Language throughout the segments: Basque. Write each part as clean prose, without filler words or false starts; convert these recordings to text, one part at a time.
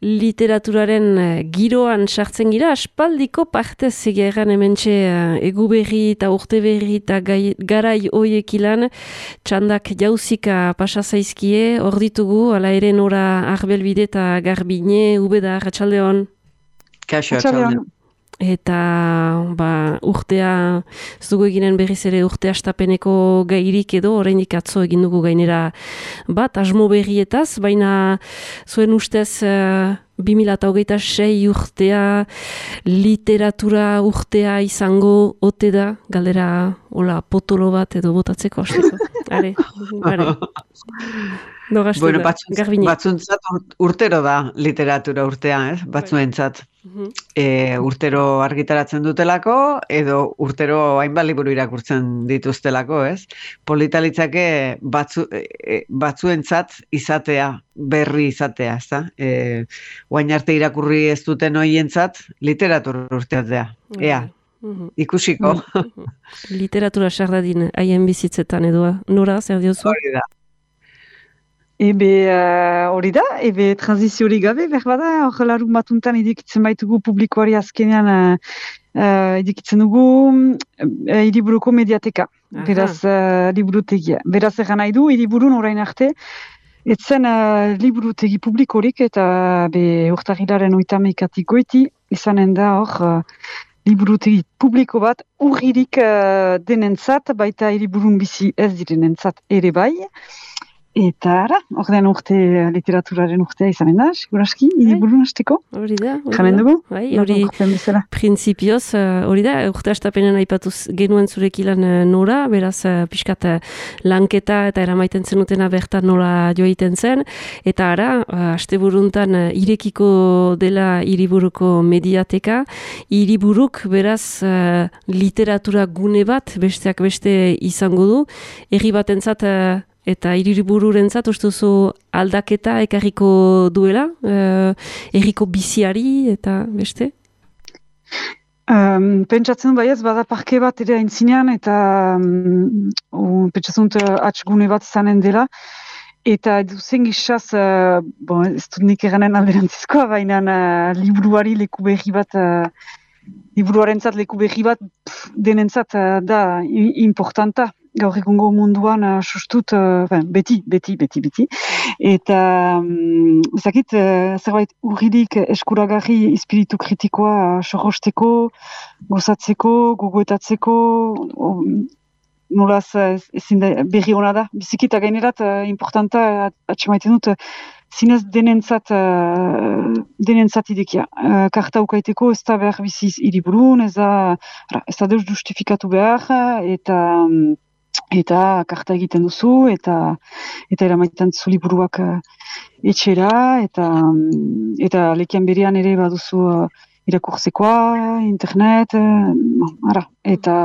Literaturaren giroan sartzen gira, aspaldiko parte zigeran hementxe eguberri eta urteberri eta garai hoiek ilan, txandak jauzika pasa zaizkie, hor ditugu, ala ere Nora Arbelbide eta Garbine, Ubeda, Arratsaldeon. Kaixo, Arratsaldeon. Eta urtea, ez dugu eginen berriz ere urte astapeneko gairik edo, oraindik atzo egin dugu gainera bat, asmo berrietaz, baina zuen ustez 2026 urtea, literatura urtea izango ote da, galdera hola potolo bat edo botatzeko hasteko. Are. Bueno, batzuntzat urtero da literatura urtea, batzuentzat. Urtero argitaratzen dutelako, edo urtero hainbat liburu irakurtzen dituztelako, ez? Polita litzake batzuentzat izatea, berri izatea, ez da? Oain arte irakurri ez duten hoientzat literatura urteatzea. Ea, ikusiko. Literatura sardadin haien bizitzetan edo, Nora, zer diozu? Hori da. Hori da, transiziorik gabe, berbada, hor larun batuntan idikitzen baitugu publikoari azkenean idikitzen dugu hiriburuko mediateka, beraz liburutegia. Beraz egan nahi du, hiriburun orain arte, etzen liburutegi publikorik eta urtarrilaren 30 goiti, izanen da hor liburutegi publiko bat urririk denentzat, baita hiriburun bizi ez direnentzat ere bai. Eta ara, ordean urte literaturaren urtea izanen da, siguraski, hiriburun hasteko. Hori da. Jamen dugu? Hori printzipioz, hori da, urte hastapenen aipatuz genuen zurek ilan Nora, beraz pixkat lanketa eta eramaiten zenutena bertan nola joiten zen, eta ara, asteburuntan irekiko dela hiriburuko mediateka, hiriburuk beraz literatura gune bat, besteak beste izango du, herri batentzat eta hiribururentzat ustuzu aldaketa ekarriko duela, herriko biziari eta beste? Pentsatzen baiez, bada parke bat ere aintzinean, eta pentsatzen atxgune bat izanen dela, eta duzen gizaz, ez dut nik eranen alderantzizkoa, baina liburuari leku berri bat, liburuarentzat leku berri bat denentzat da importanta. Gaur egungo munduan sustut, beti. Eta, ezakit, zerbait urridik eskuragarri espiritu kritikoa sorrosteko, gozatzeko, gogoetatzeko, nolaz ezin da berri hona da. Bizikita gainerat, importanta, atxemaiten dut, zinez denentzat idekia. Karta ukaiteko ez da behar biziz hiriburun, ez da deus justifikatu behar, eta karta egiten duzu, eta eramaitan zu liburuak etxera, eta lekian berean ere baduzu irakurtzekoa, internet, eta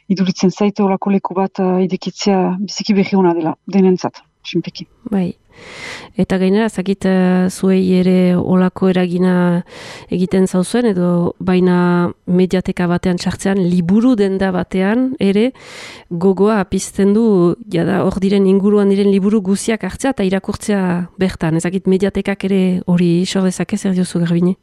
iduritzen zaite olako leku bat idekitzea biziki berri hona dela, denentzat, sinpeki. Bai. Eta gainera, zakit zuei ere olako eragina egiten zauzuen, edo baina mediateka batean sartzean, liburu denda batean ere gogoa apizten du, jada hor diren inguruan diren liburu guziak hartzea eta irakurtzea bertan. Ezakit mediatekak ere hori sordezake zer diozu Garbine?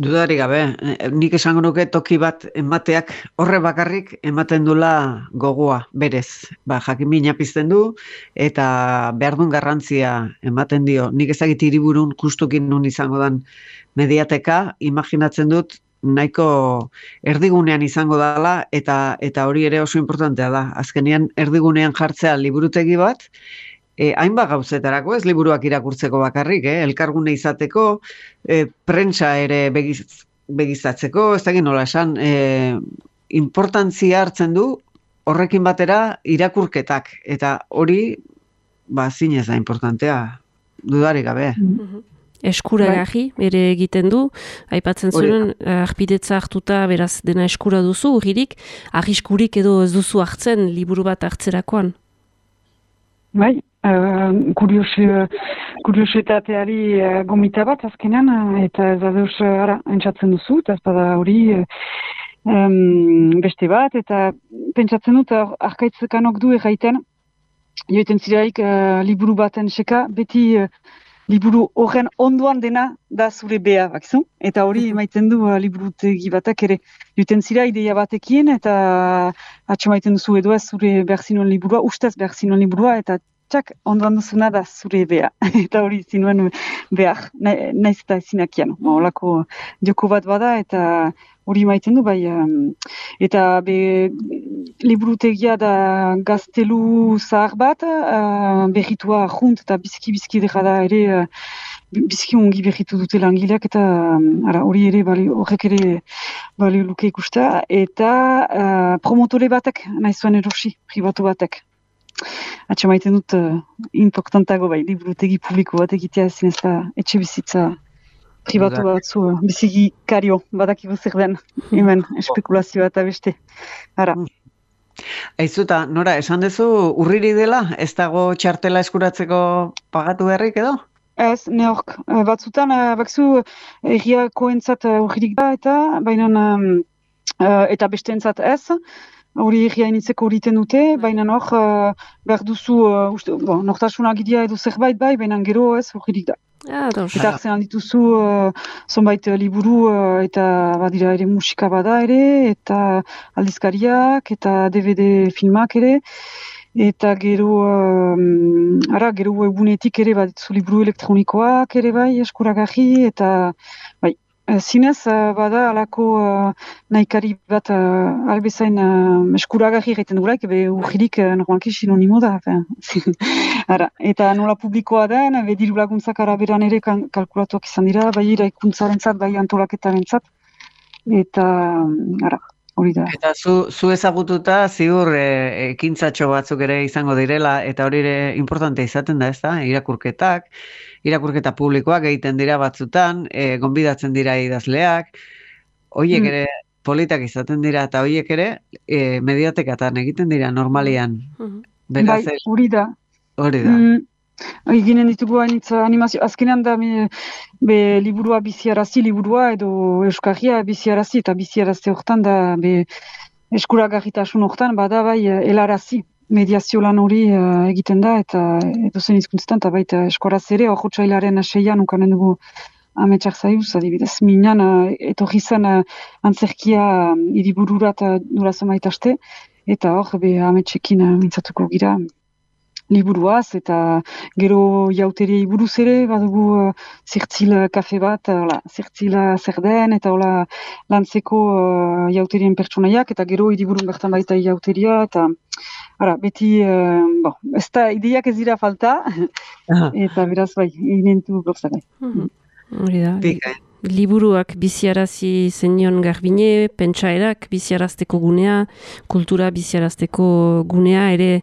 Dudari gabe, nik esango nuke toki bat emateak horre bakarrik ematen dula gogoa, berez. Jakimina pizten du eta behar duen garrantzia ematen dio. Nik ezagit hiriburun justukin nun izango dan mediateka, imaginatzen dut nahiko erdigunean izango dela eta hori ere oso importantea da. Azkenean erdigunean jartzea liburutegi bat, hainbat gauzetarako, ez liburuak irakurtzeko bakarrik, elkargune izateko, prentsa ere begizatzeko, ez da nola esan, importantzia hartzen du horrekin batera irakurketak, eta hori, zinez da importantea, dudarik gabe. Eskuragarri ere egiten du, aipatzen zuen, arpidetza hartuta beraz dena eskura duzu, urririk, arriskurik edo ez duzu hartzen liburu bat hartzerakoan? Bai, kuriositateari gomita bat azkenan, eta ez da deus entzatzen duzu, eta ez da hori beste bat, eta pentsatzen dut arkaitzekanok du erraiten, joiten ziraik liburu baten seka, beti liburu horren ondoan dena da zure bea, bakizu? Eta hori emaiten du liburutegi batak ere. Duten zira ideia batekin eta atxamaiten duzu edo ez zure behar zinuen liburua, ustez behar zinuen liburua, eta txak, ondoan duzuna da zure bea. Eta hori zinuen behar, naiz eta ezinakian. Olako joko bat bada eta hori maiten du, bai, eta liburutegia da gaztelu zahar bat, berritua junt eta bizki dira da ere, bizki ongi berritu dute langileak, eta hori ere, horrek ere balio luke ikustea, eta promotore batek, nahi zuen erosi, pribatu batek. Atxe maiten dut, importantago bai, liburutegi publiko bat egitea ezin ez da etxe bizitza pribatu batzu, biziki kario, badakigu zer den, hemen, espekulazioa eta beste. Aizuta, Nora, esan duzu urriri dela, ez dago txartela eskuratzeko pagatu beharrik edo? Ez, neork, batzutan, bakzu erriakoentzat urririk da eta, baina, eta besteentzat ez, hori erria initzeko horiten dute, baina hor, behar duzu, nortasuna gidia edo zerbait bai, baina gero ez urririk da. Eta hartzen aldituzu zonbait liburu eta badira ere musika bada ere, eta aldizkariak, eta DVD filmak ere, eta gero egunetik ere baditzu liburu elektronikoak ere bai eskuragarri, eta bai, zinez bada alako nahikari bat albezain eskuragarri egiten dugulaik, urgirik normalki sinonimo da. Eta nola publikoa den, diru laguntzak araberan ere kalkulatuak izan dira, bai iraikuntzarentzat, bai antolaketarentzat, eta hori da. Eta zu ezagututa ziur ekintzatxo batzuk ere izango direla, eta hori ere importante izaten da, ez da? Irakurketa publikoak egiten dira batzutan, gonbidatzen dira idazleak, horiek ere politak izaten dira, eta horiek ere mediatekatan egiten dira normalian. Bai, hori da. Hori da. Eginen ditugu animazio, azkenean da liburua biziarazi liburua edo euskarria biziarazi, eta biziarazte horretan da eskuragarritasun horretan bada bai helarazi. Mediazio lan hori egiten da, eta edozen hizkuntzetan, eta baita eskoraz ere, hor txailaren 6an ukanen dugu ametsak zaiuz, adibidez. Minan, etorri zen antzerkia hiribururat durazen baitaste, eta hor, ametsekin mintzatuko gira liburuaz, eta gero jauteriei buruz ere, badugu zirtzil kafe bat, zirtzil zer den, eta lantzeko jauterien pertsonaiak, eta gero hiriburun bertan baita jauteria, eta beti, ez da, ideiak ez dira falta, eta beraz bai, inentu gauzagai. Hori da, liburuak biziarazi zenion Garbine, pentsaerak biziarazteko gunea, kultura biziarazteko gunea, ere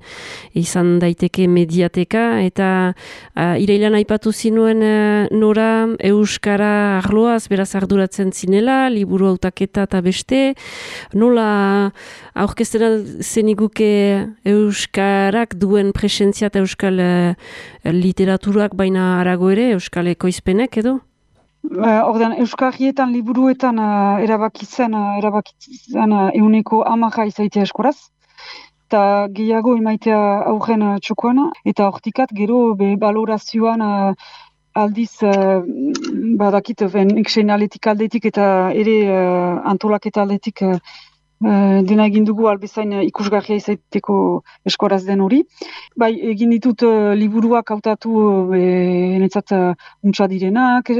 izan daiteke mediateka, eta irailan aipatu zinuen Nora euskara arloaz, beraz arduratzen zinela, liburu hautaketa eta beste, nola aurkeztena zeniguke euskarak duen presentzia eta euskal literaturak baina arago ere, euskal ekoizpenek edo? Ordean, euskarrietan liburuetan erabakitzen euneko 10 izaitea eskoraz, eta gehiago emaitea aurren txokoan, eta hortikat gero balorazioan aldiz badakit iksein aletik aldetik eta ere antolaketa aldetik dena egin dugu albezain ikusgarria izaiteko eskoraz den hori. Bai, egin ditut liburuak hautatu netzat untsa direnak,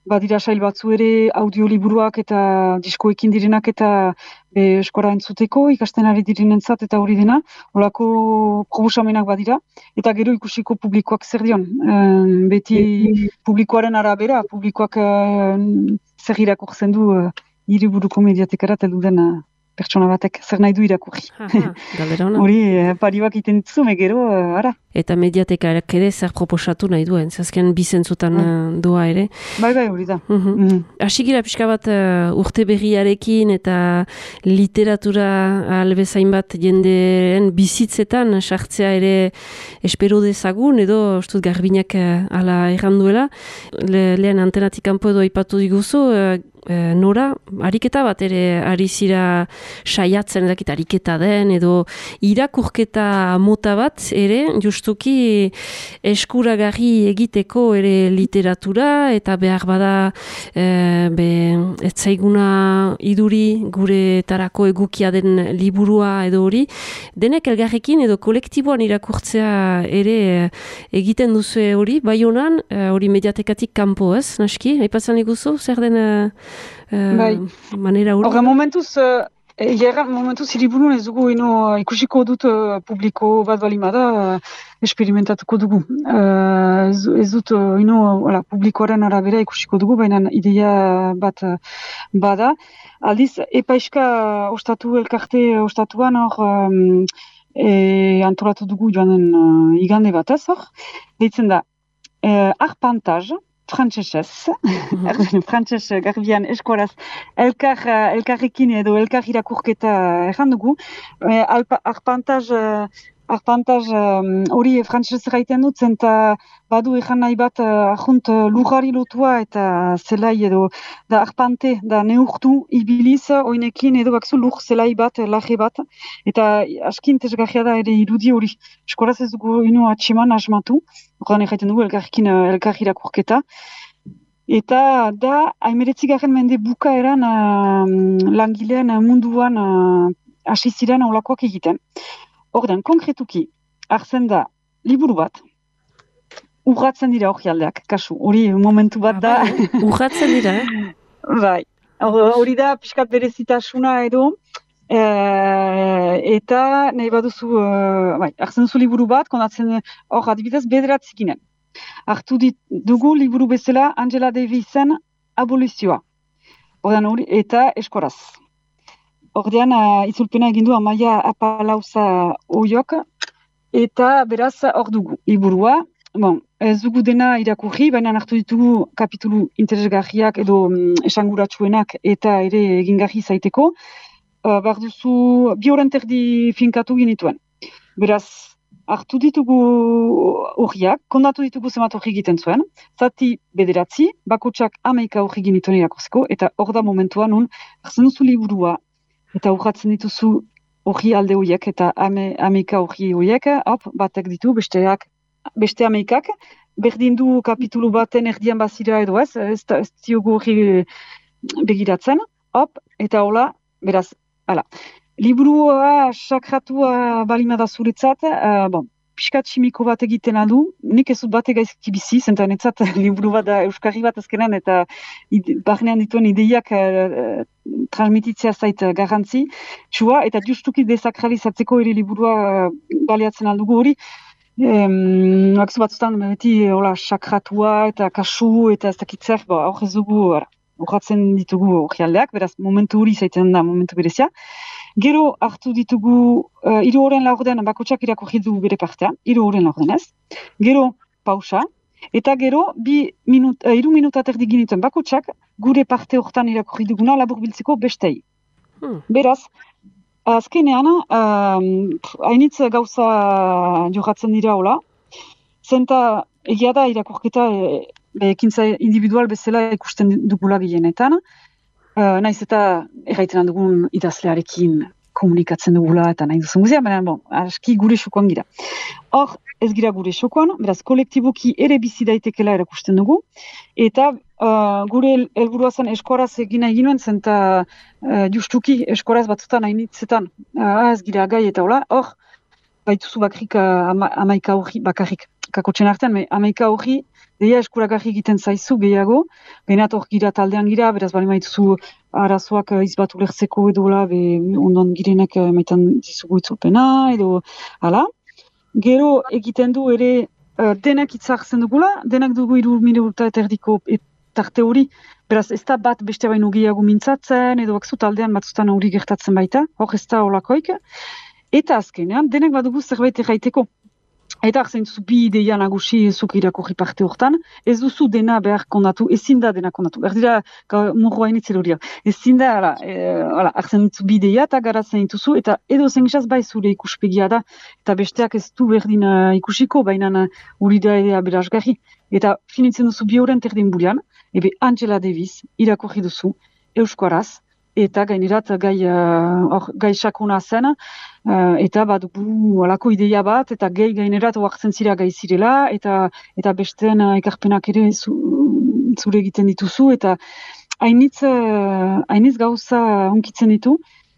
badira sail batzu ere audioliburuak eta diskoekin direnak eta eskora entzuteko, ikasten ari direnentzat eta hori dena, holako probosamenak badira, eta gero ikusiko publikoak zer dion. Beti publikoaren arabera, publikoak zer irakurtzen du hiriburuko mediatekara teldu den pertsona batek, zer nahi du irakurri. Hori, paribak iten ditzu, gero, ara. Eta mediatekarak ere zer proposatu nahi duen, zazken bizentzutan doa ere. Bai, hori da. Asigira pixka bat urte berriarekin eta literatura albezain bat jendeen bizitzetan sartzea ere espero dezagun, edo Garbinak ala erranduela. Lehen antenatik kanpo edo aipatu diguzu, Nora, ariketa bat ere ari zira saiatzen edakit ariketa den, edo irakurketa mota bat ere, justuki eskuragarri egiteko ere literatura, eta behar bada ez zaiguna iduri gure tarako egukia den liburua edo hori, denek elgarrekin edo kolektiboan irakurtzea ere egiten duzu hori, bai honan, hori mediatekatik kanpo ez, naski? Aipatzen iguzu, zer den manera hori? Horre momentuz hiriburun ez dugu ikusiko dut publiko bat balimada esperimentatuko dugu. Ez dut publikoaren arabera ikusiko dugu, baina ideia bat bada. Aldiz, epaiska elkarte ostatuan antolatu dugu joanen igande bat ez hor. Deitzen da, arpantaz, frantsesez, frantses garbian eskoraz, elkarrekin edo elkar irakurketa erran dugu. Arpantaz hori frantsesez gaiten dut, zenta badu erran nahi bat ahunt lujari lotua eta zelai edo da arpante, da neurtu ibiliz oinekin edo bakzu luj zelai bat, laje bat, eta askin tesgarria da ere irudi hori. Eskoraz ez dugu atxeman asmatu, horren egiten dugu elkar irakurketa. Eta da, 19. mende bukaeran langileen munduan hasi ziren aulakoak egiten. Ordan, konkretuki, hartzen da liburu bat, urratzen dira orkialdeak, kasu, hori momentu bat da. Urratzen dira, Bai, hori da pixkat berezitasuna edo, eta nahi baduzu, hartzen duzu liburu bat, kondatzen hor adibidez bederatzi ginen. Hartu dugu liburu bezala Angela Davisen Abolizioa. Ordan hori, eta eskoraz. Ordean, itzulpena egindu Amaia Apalauza oiok, eta beraz hor dugu liburua. Ez dugu dena irakurri, baina hartu ditugu kapitulu interesgarriak edo esanguratsuenak eta ere egingarri zaiteko. Behar duzu 2 horen terdi finkatu ginituen. Beraz, hartu ditugu horiak, kondatu ditugu zenbat hori egiten zuen, zati 9, bakotsak 11 hori ginituen irakurzeko, eta hor da momentua nun, hartzen duzu liburua, eta urratzen dituzu hori alde horiek, eta 11 hori horiek, batek ditu, beste 11, berdin du kapitulu baten erdian bazira edo ez diogu hori begiratzen, eta hola, beraz, hala. Liburua sakratua balimada zuretzat, pixkat simiko bat egiten aldu, nik ez dut bate gaizki bizi, zenta netzat liburu bat da euskarri bat azkenan, eta barnean dituen ideiak transmititzea zait garrantzi, eta justuki desakralizatzeko ere liburua baliatzen aldugu hori, akzu batzutan beti sakratua eta kasu eta ez dakitzer, hor ez dugu urratzen ditugu orkialdeak, beraz momentu hori zaiten da momentu berezia. Gero hartu ditugu 3 horen laurden bakotsak irakurri du bere partea, 3 horen laurden ez. Gero pausa, eta gero 3 minuta terdi ginituen bakotsak gure parte hortan irakurri duguna laburbiltzeko bestei. Beraz, azkenean, hainitz gauza jokatzen dira hola, zenta egia da irakurketa ekintza individual bezala ikusten dugula gehienetan, naiz eta erraiten dugun idazlearekin komunikatzen dugula eta nahi duzen guzia, baina aski gure xokoan gira. Hor, ez gira gure xokoan, beraz, kolektiboki ere bizi daitekela erakusten dugu, eta gure helburua zen eskoraz egina eginuen, zenta justuki eskoraz batzutan hainitzetan, ez gira gai eta hola, hor, baituzu bakrik 11 hori bakarrik, kakotxen artean, 11 hori, deia eskuragarri egiten zaizu gehiago, benat hor gira taldean gira, beraz bali maituzu arazoak izbatu lertzeko edo ondoan girenak maitan dizugu itzulpena, edo hala. Gero egiten du ere denak itzartzen dugula, denak dugu 3 minuta eta erdiko tarte hori, beraz ez da bat beste baino gehiago mintzatzen, edo bakzu taldean batzutan hori gertatzen baita, hor ez da holakoik. Eta azkenean, denak badugu zerbait erraiteko. Eta hartzen duzu bi ideia nagusi zuk irakurri parte hortan, ez duzu dena behar kondatu, ezin da dena kondatu. Berdira, murroa initzen hori. Ezin da, hartzen duzu bi ideia eta garatzen dituzu, eta edo zengisaz bai zure ikuspegia da, eta besteak ez du berdin ikusiko, baina hori da ere berazgarri. Eta finitzen duzu 2 horen terdin bulian, ebe Angela Davis irakurri duzu, euskaraz, eta gainerat gai sakuna zen, eta badugu alako ideia bat, eta gainerat oartzen zira gai zirela, eta besteen ekarpenak ere zure egiten dituzu, eta hainitz gauza hunkitzen ditu,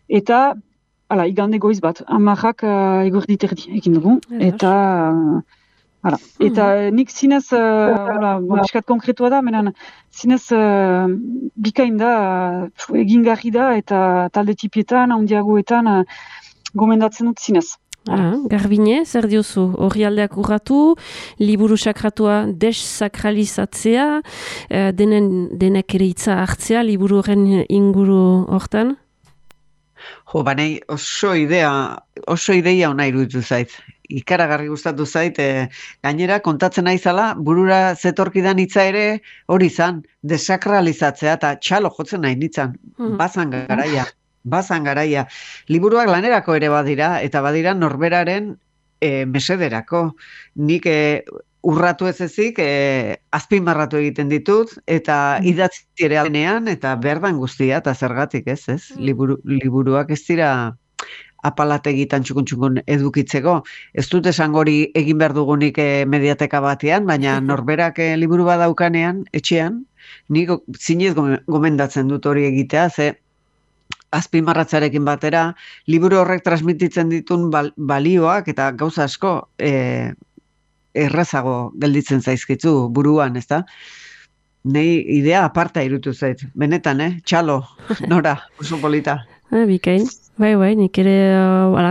eta igande goiz bat, 10 eguerdi terdi egin dugu, eta nik zinez, biskat konkretua da, menan zinez bikain da, egingarri da, eta talde tipietan, handiagoetan, gomendatzen dut zinez. Garbine, zer diozu? Orrialdeak urratu, liburu sakratua desakralizatzea, denek ere hitza hartzea, liburu horren inguru hortan? Banei oso ideia ona iruditu zait. Ikaragarri gustatu zait, gainera kontatzen naizala, burura zetorkidan hitza ere hori izan, desakralizatzea eta txalo jotzen nahi nitzan. Bazan garaia. Liburuak lanerako ere badira, eta badira norberaren mesederako. Nik urratu ez ezik, azpimarratu egiten ditut, eta idatzi ere aldenean, eta berdan guztia, eta zergatik ez. Liburuak ez dira apalategitan txukun edukitzeko. Ez dut esango hori egin behar dugunik mediateka batean, baina norberak liburu badaukanean, etxean, nik zinez gomendatzen dut hori egitea, ze azpimarratzarekin batera, liburu horrek transmititzen ditun balioak eta gauza asko errazago gelditzen zaizkitzu buruan, ezta? Nei idea aparta irutu zait. Benetan, txalo, Nora, oso polita. Bikain. Bai, nik ere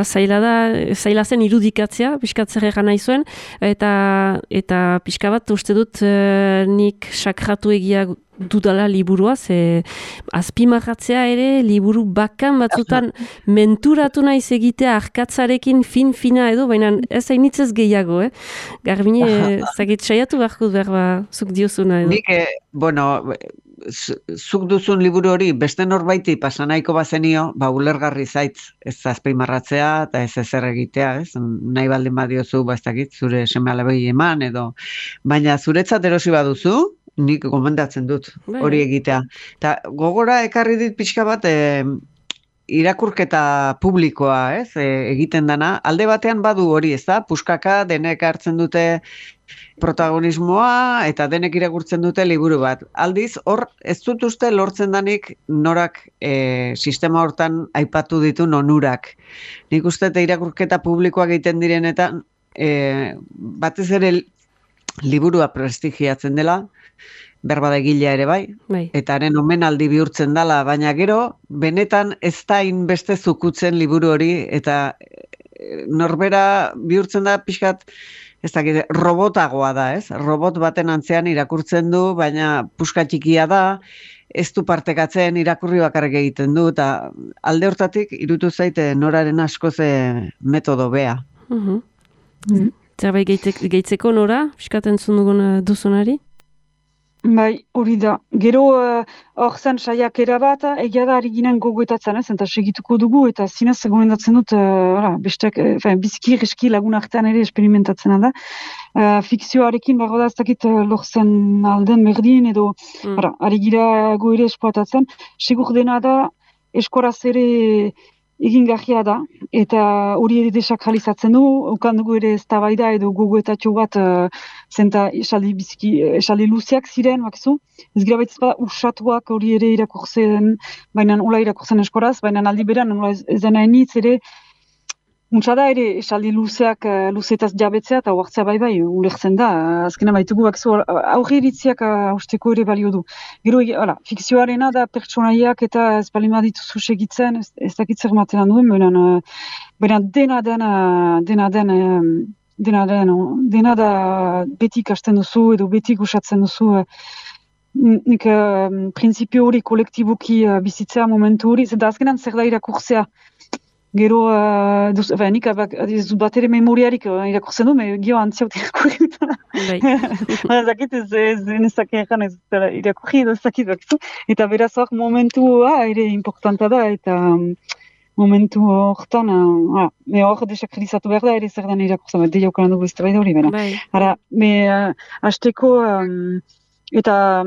zaila zen irudikatzea, pixkatzer egan nahi zuen, eta pixka bat uste dut nik sakratu egia dudala liburua, ze azpimarratzea ere liburu bakan batzutan menturatu naiz egitea arkatzarekin fina edo, baina ez hainitzez gehiago, Garbine, zagit saiatu beharko behar zuk diozuna edo. Nik, zuk duzun liburu hori beste norbaiti pasanaiko bazenio, ulergarri zaitz, ez azpimarratzea eta ez ezer egitea, ez? Nahi baldin badiozu, ez dakit, zure seme-alabei eman edo, baina zuretzat erosi baduzu, nik gomendatzen dut hori egitea. Eta gogora ekarri dit pixka bat irakurketa publikoa, ez? Egiten dana, alde batean badu hori, ez da? Puskaka denek hartzen dute protagonismoa eta denek irakurtzen dute liburu bat. Aldiz, hor ez dut uste lortzen danik Norak sistema hortan aipatu ditu onurak. Nik uste eta irakurketa publikoak egiten direnetan batez ere liburua prestigiatzen dela, berbada egilea ere bai, eta haren omenaldi bihurtzen dela, baina gero, benetan ez da beste zukutzen liburu hori, eta norbera bihurtzen da pixkat, ez dakit, robotagoa da, ez? Robot baten antzean irakurtzen du, baina puska txikia da, ez du partekatzen, irakurri bakarrik egiten du, eta alde hortatik, irutu zaite Noraren askoz metodo bea. Zerbait gehitzeko Nora, piskaten zundugun duzunari? Bai, hori da. Gero hor zen saiakera bat, egia da ari ginen gogoetatzen, eta segituko dugu, eta zinez gomendatzen dut, besteak, biziki reski lagun artean ere esperimentatzen da. Fikzioarekin, da ez dakit lortzen alden berdin, edo ari gira ere esploatatzen. Segur dena da, eskoraz ere egingarria da, eta hori ere desakralizatzen du, ukan dugu ere eztabaida edo gogoetatxo bat zenta esaldi luzeak ziren, bakzu. Ez gira baitez bada usatuak hori ere irakurtzen, baina hola irakurtzen eskoraz, baina aldi beran, ez dena enitz ere, untsa da ere esaldi luzeak luzetaz jabetzea eta huartzea bai, ulertzen da, azkena baitugu bakzu, aurre iritziak usteko ere balio du. Gero, fikzioarena da pertsonaiak eta ez balima dituzu segitzen, ez dakit zer matean duen, baina dena da beti ikasten duzu edo beti gusatzen duzu, nik prinsipio hori kolektiboki bizitzea momentu hori, zenta azkenan zer da irakurtzea. Gero, nik bat ere memoriarik irakurtzen du, gio antziaut irakurri dut. Zakit ez nezake ez irakurri edo zakit bakzu. Eta beraz hor momentua ere importanta da, eta momentu horretan, hor desakrilizatu behar da ere zer den irakurtzen, deia ukalan dugu ez da hori bera. Hara, hasteko Eta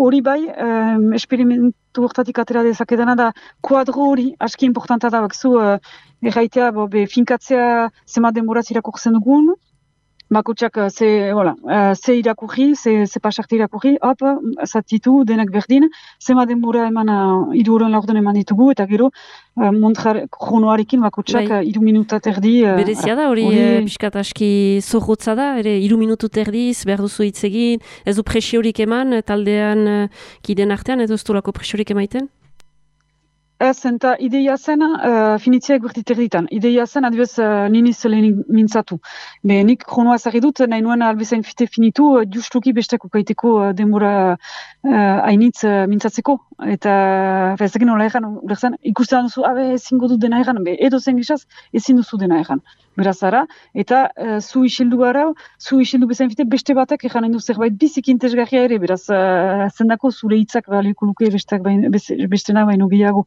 hori bai, esperimentu hortatik atera dezakedana da, kuadro hori aski importanta da, bakzu, erraitea, finkatzea zema denboraz irakurtzen dugun, bakotxak ze irakurri, ze pasarte irakurri, hop, zatitu, denak berdin, zema denbora eman, 3 horen laurden eman ditugu, eta gero, kronoarekin bakotxak 3 minuta terdi. Berezia da, hori pixkat aski zorrotza da, 3 minutu terdiz, behar duzu hitz egin, ez du presiorik eman, taldean kiden artean, edo ez du lako presiorik emaiten? Ez, eta ideia zen, finitziak bertit erditan. Ideia zen, adibez, niniz lehenik mintzatu. Nik kronoa zari dut, nahi nuen albezain finitu, justuki besteko kaiteko denbora hainitz mintzatzeko. Eta, ez egin nola egan, ikusten duzu, ezingo dut dena egan, edo zen gizaz, ezin duzu dena egan. Beraz ara, eta zu isildu gara, zu isildu bezain beste batek eganen du zerbait bizik intezgarria ere, beraz, zendako zure hitzak baliko luke bestena baino gehiago.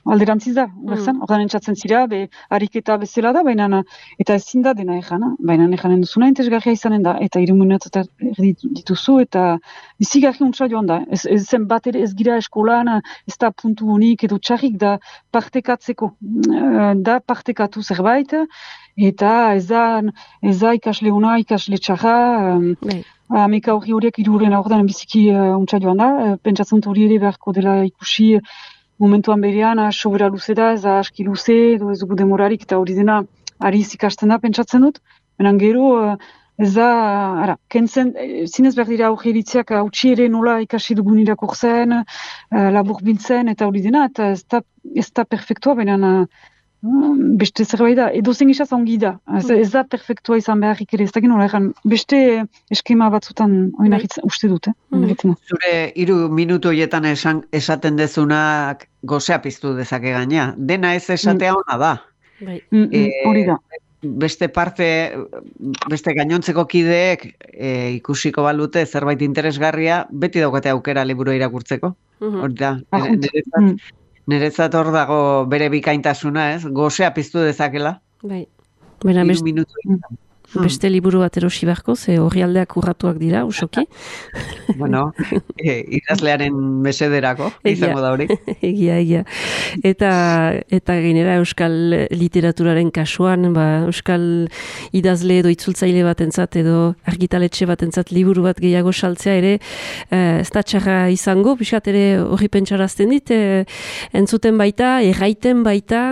Alderantziz da, ordan entzatzen zira, ariketa bezala da, baina eta ezin da dena egan, baina eganen duzuna intezgarria izanen da, eta 3 minutu dituzu, eta bizigarri untsa joan da. Ez zen bat ere ez gira eskolan, ez da puntu honik edo txarrik da partekatzeko, da partekatu zerbait, eta ez da ikasle ona, ikasle txarra, ameka horiek 3 horen aurdan biziki untsa joan da, pentsatzen hori ere beharko dela ikusi, momentuan berean, sobera luze da, ez da aski luze, edo ez dugu demorarik, eta hori dena ariz ikasten da, pentsatzen dut. Benan gero, ez da, kentzen, zinez behar dira aurreritziak hautsi ere nola ikasi dugun irakurtzen, labur biltzen, eta hori dena, eta ez da perfektua, benan beste zerbait da, edo zen gizaz ongi da, ez da perfektua izan beharrik ere, ez da gino, beste eskema batzutan oinarritzen uste dut, Zure 3 minutu horietan esaten dezunak gozea piztu dezake gaina, dena ez esatea ona da. Hori da. Beste gainontzeko kideek ikusiko balute zerbait interesgarria, beti daukate aukera liburu irakurtzeko. Hori da, niretzat hor dago bere bikaintasuna, ez? Gozea piztu dezakela. Bai. 3 minutu. Beste liburu bat erosi beharko, ze horri aldeak urratuak dira, usoki. Bueno, idazlearen mesederako, izango da hori. Egia. Eta gainera euskal literaturaren kasuan, euskal idazle edo itzultzaile batentzat edo argitaletxe batentzat liburu bat gehiago saltzea ere, ez da txarra izango, pixat ere horri pentsarazten dit, entzuten baita, erraiten baita,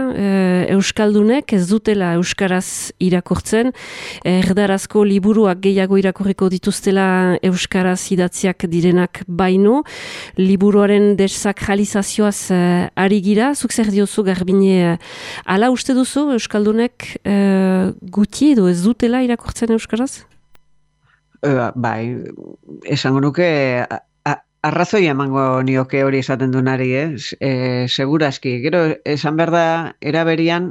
euskaldunek ez dutela euskaraz irakurtzen, erdarazko liburuak gehiago irakurriko dituztela euskaraz idatziak direnak baino, liburuaren desakralizazioaz ari gira, zuk zer diozu Garbine, ala uste duzu euskaldunek guti edo ez dutela irakurtzen euskaraz? Bai, esango nuke arrazoi emango nioke hori esaten dunari, seguraski. Gero, esan behar da, eraberian,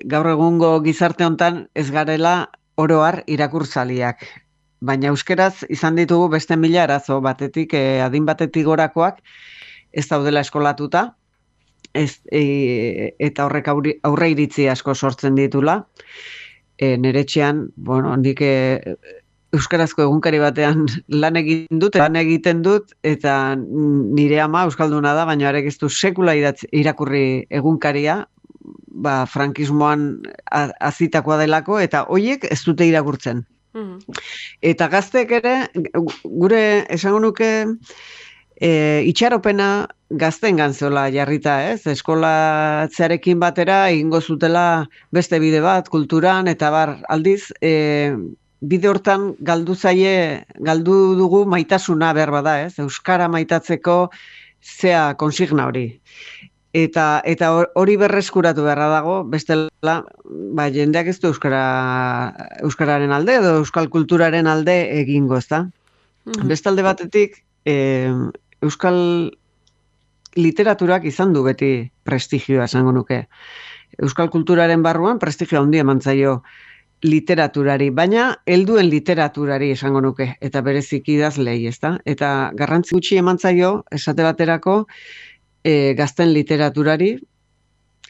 gaur egungo gizarte hontan ez garela oroar irakurtzaliak. Baina euskeraz izan ditugu beste 1000 arazo, batetik, adin batetik gorakoak, ez daudela eskolatuta, eta horrek aurre iritzi asko sortzen ditula. Nere etxean, nik euskarazko egunkari batean lan egiten dut, eta nire ama euskalduna da, baina arek ez du sekula irakurri egunkaria, frankismoan azitakoa delako, eta hoiek ez dute irakurtzen. Eta gaztek ere, gure esango nuke, itxaropena gaztengan zeola jarrita, ez? Eskolatzearekin batera egingo zutela beste bide bat, kulturan, eta aldiz, bide hortan galdu dugu maitasuna behar bada, ez? Euskara maitatzeko zea konsigna hori. Eta hori berreskuratu beharra dago, bestela, jendeak ez du euskararen alde edo euskal kulturaren alde egingo, ezta? Bestalde batetik, euskal literaturak izan du beti prestigioa, esango nuke. Euskal kulturaren barruan prestigioa handia eman zaio literaturari, baina helduen literaturari esango nuke, eta berezik idazlei, ezta? Eta garrantzi gutxi eman zaio, esate baterako, gazten literaturari,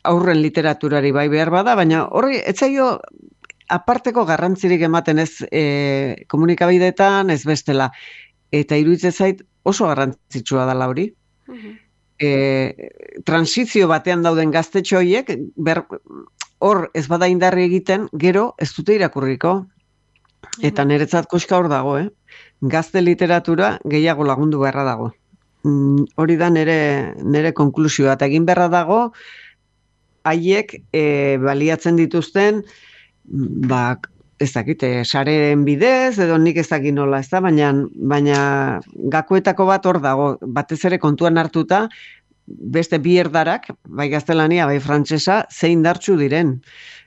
aurren literaturari bai behar bada, baina horri etzaio aparteko garrantzirik ematen ez komunikabideetan, ez bestela. eta iruditzen zait oso garrantzitsua dela hori. Transizio batean dauden gaztetxo horiek, hor ez bada indarri egiten, gero ez dute irakurriko. Eta niretzat koska hor dago, gazte literatura gehiago lagundu beharra dago. Hori da nire konklusioa, eta egin beharra dago, haiek baliatzen dituzten, ez dakit, sareen bidez, edo nik ez dakit nola, ez da, baina gakoetako bat hor dago, batez ere kontuan hartuta, beste bi erdarak, bai gaztelania, bai frantsesa, zein dartsu diren,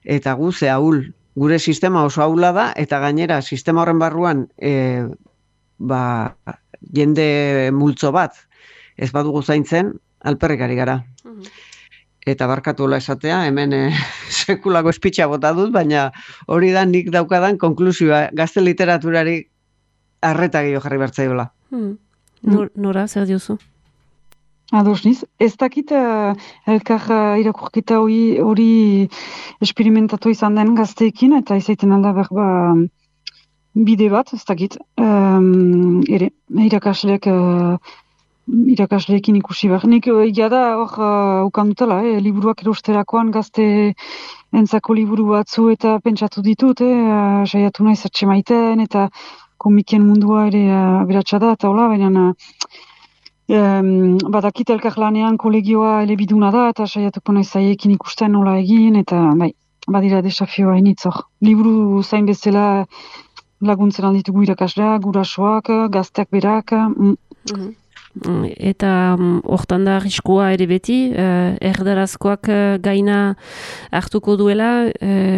eta gu ze ahul. Gure sistema oso ahula da, eta gainera sistema horren barruan jende multzo bat ez badugu zaintzen, alperrik ari gara. Eta barkatuela esatea, hemen sekulako espitxa bota dut, baina hori da nik daukadan konklusioa, gazte literaturari arreta gehiago jarri bertzaiola. Nora, zer diozu? Ados niz, ez dakit elkar irakurketa hori esperimentatu izan den gazteekin, eta izaiten alda bide bat, ez dakit, ere, irakasleekin ikusi behar. Nik da hor ukandutela, liburuak erosterakoan gazte entzako liburu batzu eta pentsatu ditut, saiatu nahi zertxe maiten, eta komikien mundua ere aberatsa da, eta hola, baina badakit elkarlanean kolegioa elebiduna da, eta saiatuko nahi zaiekin ikusten nola egin, eta badira desafioa initzor. Liburu zain bezala laguntzen alditugu irakasleak, gurasoak, gazteak berak. Eta hortan da arriskua ere beti, erdarazkoak gaina hartuko duela,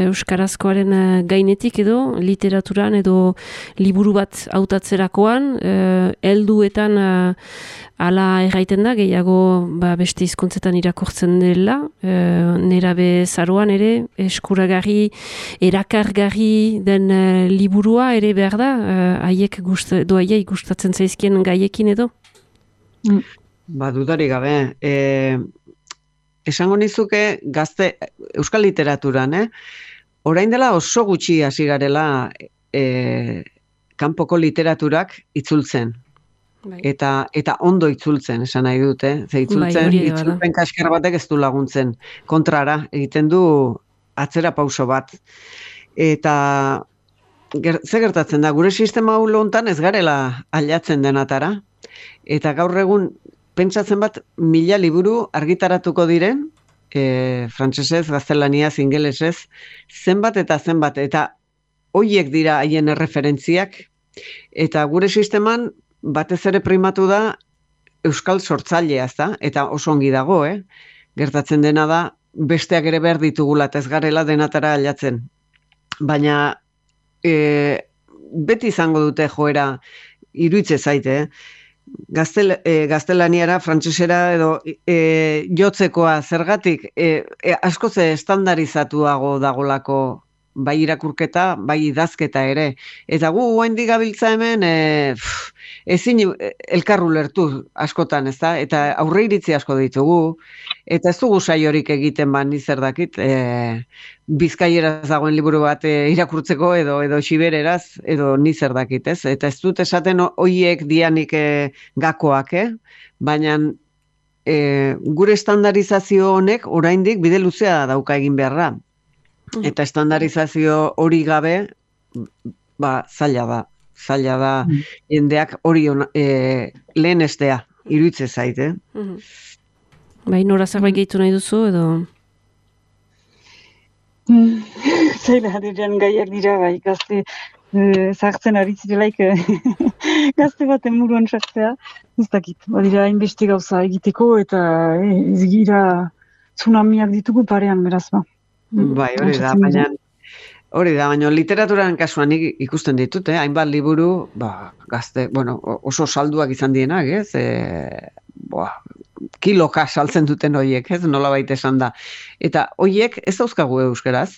euskarazkoaren gainetik edo, literaturan edo liburu bat hautatzerakoan, helduetan ala erraiten da, gehiago beste hizkuntzetan irakurtzen dela, nerabe zaroan ere, eskuragarri, erakargarri den liburua ere behar da, haiek gustatzen zaizkien gaiekin edo? Dudari gabe. Esango nizuke gazte euskal literaturan, orain dela oso gutxi hasi garela kanpoko literaturak itzultzen. Eta ondo itzultzen, esan nahi dute. Itzulpen kaskar batek ez du laguntzen. Kontrara, egiten du atzera pauso bat. Eta ze gertatzen da, gure sistema hulo hontan ez garela aldatzen denatara. Eta gaur egun, pentsatzen bat, 1000 liburu argitaratuko diren, frantsesez, gaztelaniaz, ingelesez, zenbat, eta hoiek dira haien erreferentziak, eta gure sisteman batez ere primatu da euskal sortzailea, eta oso ongi dago, gertatzen dena da, besteak ere behar ditugula, eta ez garela denatara aldatzen. Baina, beti izango dute joera, iruitze zaite, gaztelaniara, frantsesera edo jotzekoa zergatik askoz estandarizatuago dagolako bai irakurketa, bai idazketa ere. Eta gu oraindik gabiltza hemen ezin elkar ulertu askotan, ezta? Eta aurreiritzi asko ditugu, eta ez dugu saiorik egiten ni zer dakit, bizkaieraz dagoen liburu bat irakurtzeko edo xibereraz, edo ni zer dakit, ez? Eta ez dut esaten hoiek dianik gakoak, baina gure estandarizazio honek oraindik bide luzea dauka egin beharra. Eta estandarizazio hori gabe, zaila da jendeak hori lehen estea, iruitze zait, Bai, nora zerbait gehitu nahi duzu, edo? Zaila diren gaiak dira, bai, gazte zartzen ari zirelaik gazte baten muruan sartzea, ez dakit, badira hainbeste gauza egiteko, eta ez gira tsunamiak ditugu parean, beraz, Bai, hori da, baina literaturaren kasuan ikusten ditut, hainbat liburu, gazte, oso salduak izan dienak, kiloka saltzen duten horiek, nola baita esan da. Eta horiek ez dauzkagu euskaraz.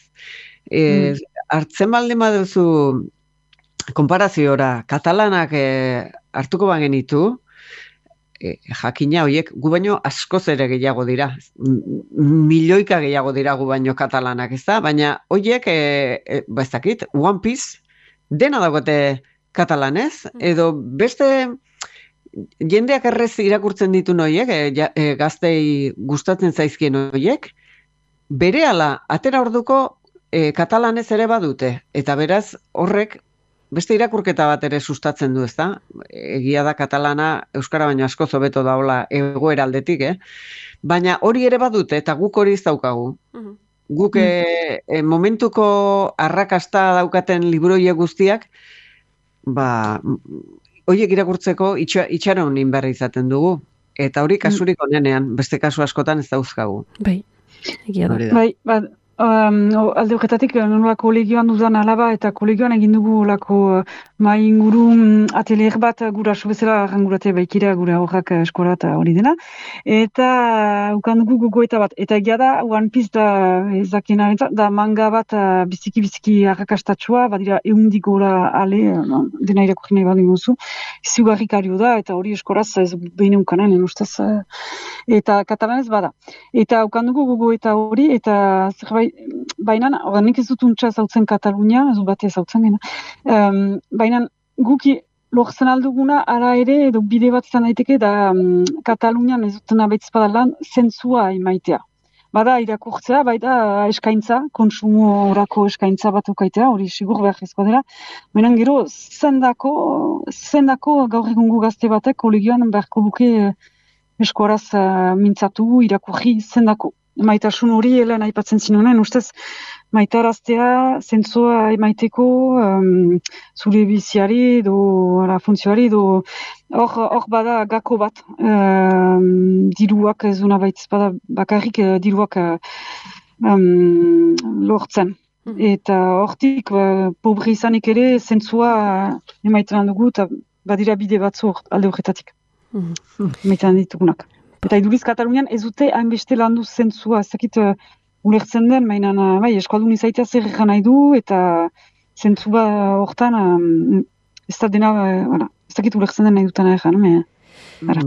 Hartzen baldin baduzu konparaziora, katalanak hartuko bagenitu, jakina horiek gu baino askoz ere gehiago dira. Milioika gehiago dira gu baino katalanak, ez da? Baina horiek, ez dakit, One Piece, dena dagoete katalanez, edo beste jendeak errez irakurtzen ditu noiek, gaztei gustatzen zaizkien noiek, berehala atera orduko katalanez ere badute, eta beraz horrek beste irakurketa bat ere sustatzen du, ezta? Egia da katalana euskara baino askoz hobeto daola egoera aldetik, baina hori ere badute, eta guk hori ez daukagu. Guk momentuko arrakasta daukaten libroie guztiak, horiek irakurtzeko itxaron inberri izaten dugu. Eta hori kasurik onenean, beste kasu askotan ez dauzkagu. Bai, egia da. Bai, alde horretatik, nola kolegioan dudan alaba, eta kolegioan egin dugu olako mai inguru atelier bat guraso bezala arrangurate baikira gure horrak eskola eta hori dena. Eta ukan dugu gogoeta bat. Eta egia da, One Piece da ezakien arentzat, da manga bat biziki arrakastatsua, badira eundik gora ale, dena irakurri nahi badin guzu, ziugarrikario da, eta hori eskoraz ez behin eukanen, ustez, eta katalanez bada. Eta ukan dugu gogoeta hori, eta zerbait, baina, nik ez dut untsa zautzen Katalunia, ez dut bate zautzen gena. Baina, guki lortzen alduguna, ara ere, edo bide bat izan daiteke, da Katalunian ez duten abaitz badalan, zentzua imaitea. Bada irakurtzea, baita eskaintza, konsumo orako eskaintza bat ukaitea, hori sigur behar ezko dela. Baina gero, zendako gaur egungo gazte batek, kolegioan beharko luke eskoraz mintzatu, irakurri zendako. Maitasun hori helan aipatzen zinunen, ustez maitaraztea, zentzua emaiteko, zure biziari, funtzioari, hor bada gako bat, diruak ez duna baitz, bada bakarrik diruak lortzen. Eta hortik, pobre izanik ere, zentzua emaiten dugu, eta badira bide batzu alde horretatik. Emaiten ditugunak. Eta iduriz Katalunian ez dute hainbeste landu zentzua, ez dakit ulertzen den, mainan, eskaldun izaitea zer egan nahi du, eta zentzua hortan, ez da dena, ez dakit ulertzen den nahi dutana egan.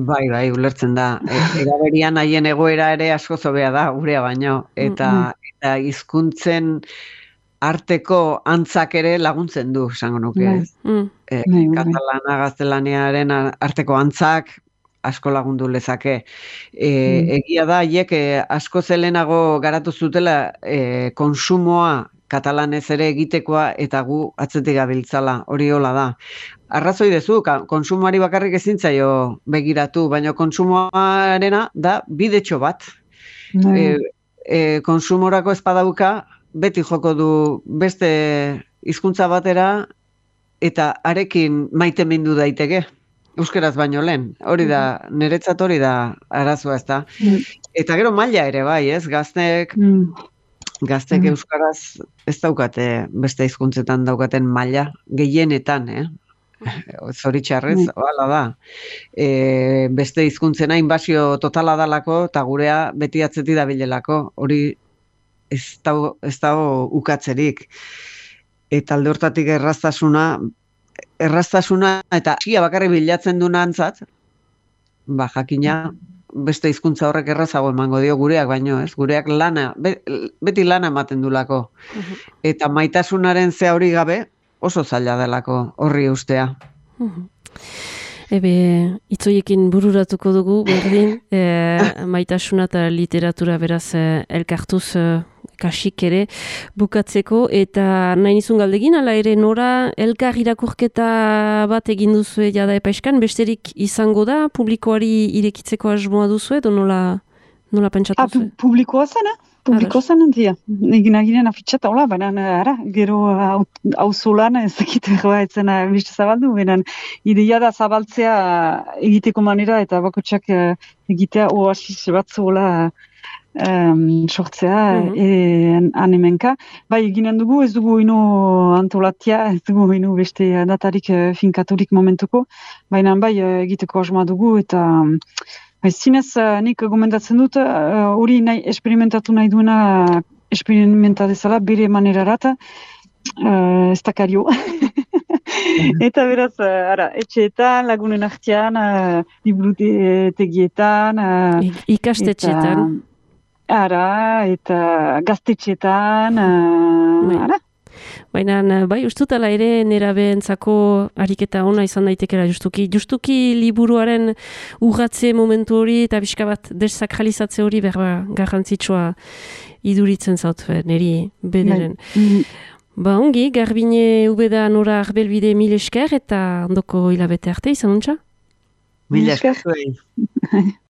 Bai, ulertzen da. Eraberian haien egoera ere asko zobea da, gurea baino, eta hizkuntzen arteko antzak ere laguntzen du, esango nuke. Katalana gaztelaniaren arteko antzak, asko lagundu lezake. Egia da, haiek asko zelenago garatu zutela konsumoa katalanez ere egitekoa eta gu atzetik gabiltzala, hori hola da. Arrazoi dezu, konsumoari bakarrik ezintzaio begiratu, baina konsumoarena da bidetxo bat. Konsumorako espadauka beti joko du beste hizkuntza batera eta arekin maite mindu daiteke. Euskeraz baino lehen, hori da, niretzat hori da arazoa, ez da. Eta gero maila ere bai, ez, gaztek euskaraz ez daukate, beste hizkuntzetan daukaten maila, gehienetan, zoritxarrez, hala da. Beste hizkuntzena inbasio totala dalako, eta gurea beti atzeti dabilelako, hori ez dago ukatzerik. Eta alde hortatik erraztasuna eta txia bakarri bilatzen du nantzat, jakina beste hizkuntza horrek errazago emango dio gureak baino, ez? Gureak beti lana ematen dulako. Eta maitasunaren zea hori gabe oso zaila delako horri ustea. Itzoiekin bururatuko dugu, berdin, maitasuna eta literatura beraz elkartuz kasik ere bukatzeko, eta nahi nizun galdegin, ala ere Nora elkar irakurketa bat egin duzu jada epaiskan, besterik izango da, publikoari irekitzeko asmoa duzu edo nola pentsatu zu? Publikoa zen, Publiko zen entzia. Egin aginean afitxata, hola, baina gero auzolan ez dakit etzen beste zabaldu, baina ideia da zabaltzea egiteko manera eta bakotxak egitea oasis bat zola sortzea anemenka. Bai, eginen dugu, ez dugu ino antolatia, ez dugu ino beste datarik finkaturik momentuko, baina bai egiteko asmoa dugu eta zinez nik gomendatzen dut hori esperimentatu nahi duena esperimentadezala bere manerarat ez dakario. Eta beraz, etxeetan, lagunen artean, liburutegietan, ikastetxeetan. Eta gaztetxetan, Baina, bai, ustutala ere nerabeentzako ariketa ona izan daitekela justuki liburuaren urratze momentu hori eta pixka bat desakralizatze hori berba garrantzitsua iduritzen zaut, niri bederen. Ba, ongi, Garbine Ubeda Nora Arbelbide mil esker eta ondoko hilabete arte izan untxa? Mil esker.